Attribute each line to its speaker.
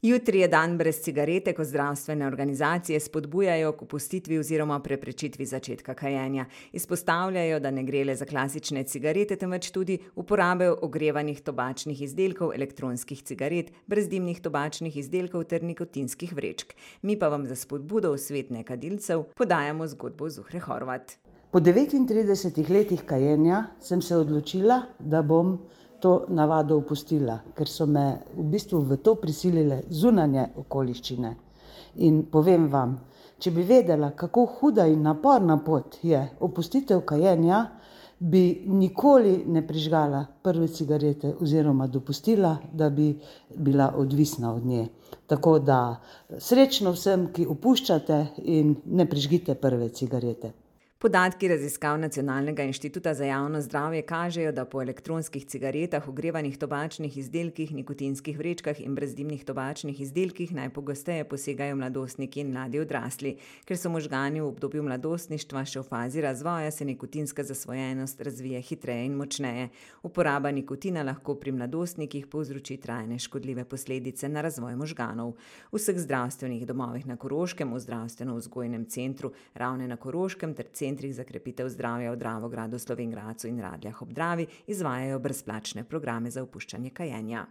Speaker 1: Jutri je dan brez cigarete, ko zdravstvene organizacije spodbujajo k opustitvi oziroma preprečitvi začetka kajenja. Izpostavljajo, da ne gre le za klasične cigarete, temveč tudi uporabe ogrevanih tobačnih izdelkov, elektronskih cigaret, brezdimnih tobačnih izdelkov ter nikotinskih vrečk. Mi pa vam za spodbudo v svet nekadilcev podajamo zgodbo Zuhre Horvat.
Speaker 2: Po 39 letih kajenja sem se odločila, da bom to navado opustila, ker so me v bistvu v to prisilile zunanje okoliščine. In povem vam, če bi vedela, kako huda in naporna pot je opustitev kajenja, bi nikoli ne prižgala prve cigarete oziroma dopustila, da bi bila odvisna od nje. Tako da srečno vsem, ki opuščate in ne prižgite prve cigarete.
Speaker 1: Podatki raziskav Nacionalnega inštituta za javno zdravje kažejo, da po elektronskih cigaretah, ogrevanih tobačnih izdelkih, nikotinskih vrečkah in brezdimnih tobačnih izdelkih najpogosteje posegajo mladostniki in mladi odrasli. Ker so možgani v obdobju mladostništva še v fazi razvoja, se nikotinska zasvojenost razvije hitreje in močneje. Uporaba nikotina lahko pri mladostnikih povzroči trajne škodljive posledice na razvoj možganov. V vseh zdravstvenih domovih na Koroškem, v zdravstveno-vzgojnem centru Ravne na Koroškem ter centrih za krepitev zdravja v Dravogradu, Slovenj Gradcu in Radljah ob Dravi izvajajo brezplačne programe za opuščanje kajenja.